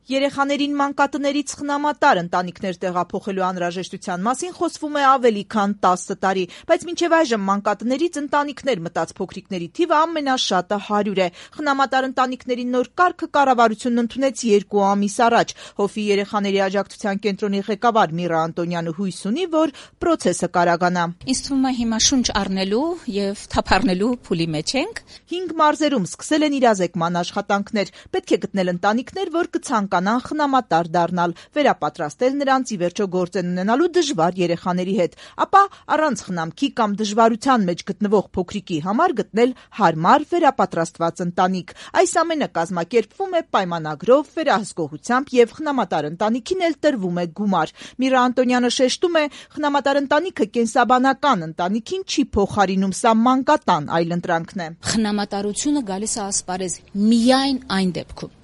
Երեխաներին մանկատներից խնամատար ընտանիքներ տեղափոխելու անհրաժեշտության մասին խոսվում է ավելի քան 10 տարի, բայց մինչև այժմ մանկատներից ընտանիքներ մտած փոքրիկների թիվը ամենաշատը 100 է։ Խնամատար ընտանիքների նոր կարգը կառավարությունն ընդունեց 2 ամիս առաջ։ Հովի երեխաների աջակցության կենտրոնի ղեկավար Միրա Անտոնյանը հույս ունի, որ պրոցեսը կարագանա։ Ինձ թվում է հիմա շունչ առնելու եւ թափառնելու փուլի մեջ ենք։ 5 մարզերում սկսել են իրազեկման աշխատանքներ։ Պետք է գտնել ընտանիքներ, որ կցանկանան խնամատար դառնալ, վերապատրաստել նրանց ի վերջո գործ ունենալու դժվար երեխաների հետ, ապա առանց խնամքի կամ դժվարության մեջ գտնվող փոքրիկի համար գտնել հարմար վերապատրաստված ընտանիք։ Այս ամենը կազմակերպվում է պայմանագրով, վերահսկողությամբ եւ խնամատար ընտանիքին էլ տրվում է գումար։ Միրա Անտոնյանը շեշտում է, խնամատար ընտանիքը կենսաբանական ընտանիքին չի փոխարինում, սա մանկատան այլընտրանքն է։ Խնամատարությունը գալիս է ասպարեզ միայն այն դեպքում,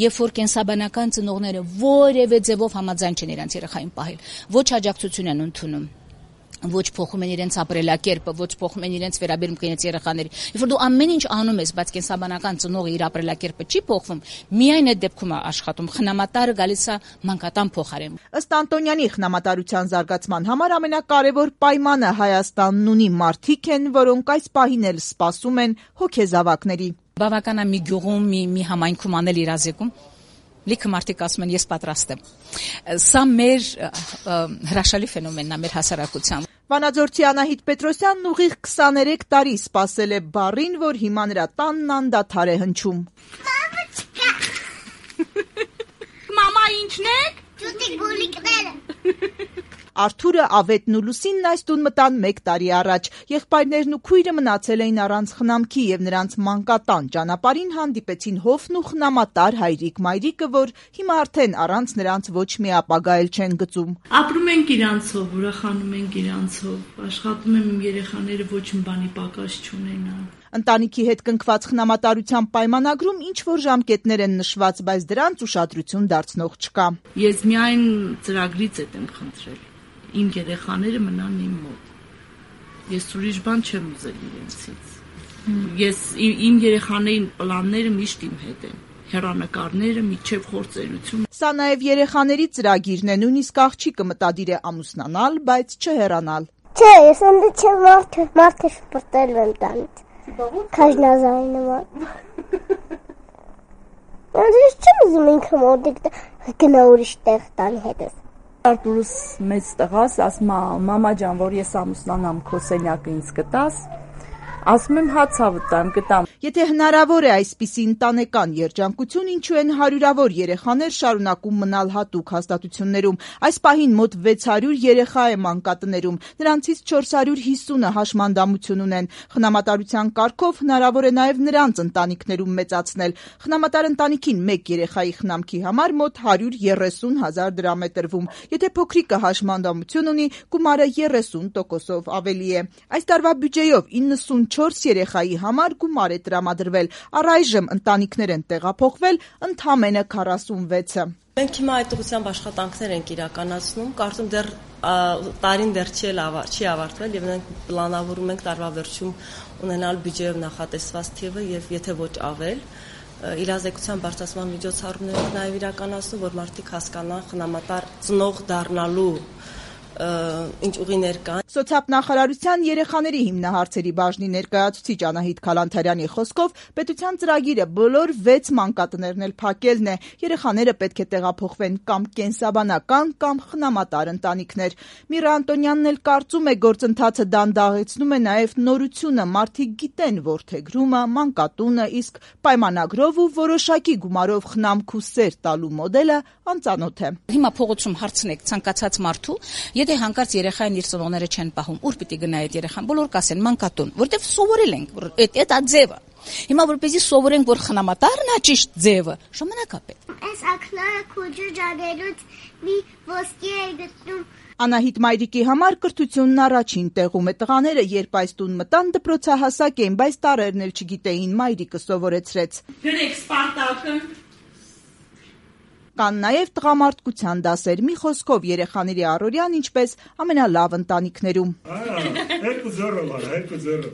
երբ որ կենսաբանական ծնողները որևէ ձևով համաձայն չեն իրենց երեխային պահել, ոչ աջակցություն են ընդունում, ոչ փոխում են իրենց ապրելակերպը, ոչ փոխում են իրենց վերաբերմունքը իրենց երեխաների։ Երբ որ դու ամեն ինչ անում ես, բայց կենսաբանական ծնողը իր ապրելակերպը չի փոխվում, միայն այդ դեպքում է աշխատում։ Խնամատարը գալիս է մանկատան փոխարեն։ Ըստ Անտոնյանի, խնամատարության զարգացման համար ամենակարևոր պայմանը Հայաստանն ունի, մարդիկ են, որոնք այս պահին էլ սպասում են հոգեզավակների։ Բավական է մի գյուղում, մի համայնքում անել իրազեկում, լիքը մարդիկ ասում են ես պատրաստ եմ։ Սա մեր հրաշալի ֆենոմենն է մեր հասարակության։ Վանաձորցի Անահիտ Պետրոսյանն ուղիղ 23 տարի սպասել է բառին, որ հիմա նրա տանն անդադար է հնչում։ Մամա, ի՞նչն է։ Ճուտիկ բուլիկները։ Արթուրը, Ավետն ու Լուսինն այս տուն մտան 1 տարի առաջ։ Եղբայրներն ու քույրը մնացել էին առանց խնամքի եւ նրանց մանկատան ճանապարհին հանդիպեցին Հովն ու խնամատար հայրիկ-մայրիկը, որ հիմա արդեն առանց նրանց ոչ մի ապագա էլ չեն գծում։ Ապրում ենք իրանցով, ուրախանում ենք իրանցով, աշխատում եմ իմ երեխաները ոչ մի բանի պակաս չունենան։ Ընտանիքի հետ կնքված խնամատարության պայմանագրում ինչ որ ժամկետներ են նշված, բայց դրանց ուշադրություն դարձնող չկա։ Ես միայն ծրագրից եմ խնդրել։ Իմ երեխաները մնան իմ մոտ։ Ես ուրիշ բան չեմ ուզել իրենցից։ Ես իմ երեխաների պլանները միշտ իմ հետ են։ Հեռանկարները միջև խորձելություն։ Սա նաև երեխաների ծրագիրն է, նույնիսկ աղջիկը մտադիր է ամուսնանալ, բայց չհեռանալ։ Չէ, ես ընդ չեմ մարդը շպրտել եմ տանից։ Քաշնազային նման։ Ես չեմ ուզում ինքը մոտիկ գնա ուրիշ տեղ տանի հետս։ Արտուրս մեծ տղաս, ասում է մամա ջան, որ ես ամուսնանամ, քո սենյակը ինձ կտաս։ Ասում եմ հացա վտամ, կտամ։ Եթե հնարավոր է այսպիսի ընտանեկան երջանկություն, ինչու են հարյուրավոր երեխաներ շարունակում մնալ հատուկ հաստատություններում։ Այս պահին մոտ 600 երեխա է մանկատներում, նրանցից 450-ը հաշմանդամություն ունեն։ Խնամատարության կարգով հնարավոր է նաև նրանց ընտանիքներում մեծացնել։ Խնամատար ընտանիքին 1 երեխայի խնամքի համար մոտ 130,000 դրամ է տրվում։ Եթե փոքրիկը հաշմանդամություն ունի, գումարը 30%-ով ավելի է։ Այս տարվա բյուջեով 94 երեխայի համար գումար է տրամադրվել, առայժմ ընտանիքներ են տեղափոխվել ընդամենը 46-ը։ Մենք հիմա այդ ուղղությամբ աշխատանքներ ենք իրականացնում, կարծում դեռ տարին դեռ չի ավարտվել եւ մենք պլանավորում ենք տարվա վերջում ունենալ բյուջեով նախատեսված թիվը եւ եթե ոչ ավել, իրազեկության բարձրացման միջոցառումներ ենք նաեւ իրականացնում, որ մարդիկ հասկանան խնամատար ծնող դառնալու ինչ ուղիներ կան։ Սոցիալնախարարության երեխաների հիմնահարցերի բաժնի ներկայացուցիչ Անահիտ Քալանթարյանի խոսքով պետության ծրագիրը բոլոր 6 մանկատներն էլ փակելն է։ Երեխաները պետք է տեղափոխվեն կամ կենսաբանական կամ խնամատար ընտանիքներ։ Միրա Անտոնյանն էլ կարծում է, գործընթացը դանդաղեցնում է նաև նորությունը, մարդիկ գիտեն որդեգրումը, մանկատունը, իսկ պայմանագրով ու որոշակի գումարով խնամք ու սեր տալու մոդելը անծանոթ է։ Հիմա փողոցում հարցնեք ցանկացած մարդու, եթե հանկարծ երեխային իր ծնողները չեն պահում, ուր պիտի գնա այդ երեխան, բոլոր կասեն մանկատուն, որտեվ սովորել ենք, որ այդ ձևը։ Հիմա որպեսզի սովորենք, որ խնամատարն է ճիշտ ձևը, ժամանակ է պետք։ Այս ակնարը քուջուջագելուց մի ոսկի է գտնում։ Անահիտ մայրիկի համար կրթությունն առաջին տեղում է։ Տղաները, երբ այս տուն մտան, դպրոցահասակ էին, բայց տարերն էլ չգիտեին, մայրիկը սովորեցրեց։ Գրեք Սպարտակը։ Կան նաև տղամարդկության դասեր, մի խոսքով երեխաների առօրյան ինչպես ամենալավ ընտանիքներում։ Երկու ձեռը վար, երկու ձեռը։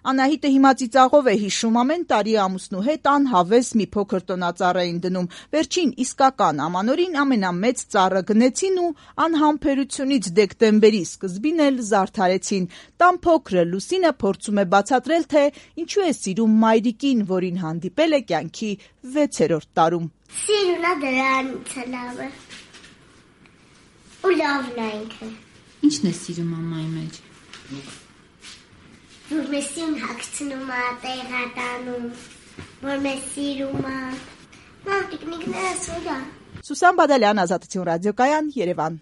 Անահիտը հիմա ծիծաղով է հիշում, ամեն տարի ամուսնու հետ անհավես մի փոքր տոնածառ էին դնում։ Վերջին իսկական ամանորին ամենամեծ ծառը գնեցին ու անհամբերությունից դեկտեմբերի սկզբին էլ զարդարեցին։ Տան փոքրը Լուսինը փորձում է բացատրել, թե ինչու է սիրում մայրիկին, որին հանդիպել է կյանքի 6-րդ տարում։ Սիրունա դրանից է լավը։ Ու լավն է ինքը։ Ինչն է սիրում մամայի մեջ։ Որ մեզ սիրուն հագցնում է, տեղատանում, որ մեզ սիրում է։ Նա տիկնիկները սուր է։ Սուսան Բադալյան, Ազատություն ռադիոկայան, Երևան։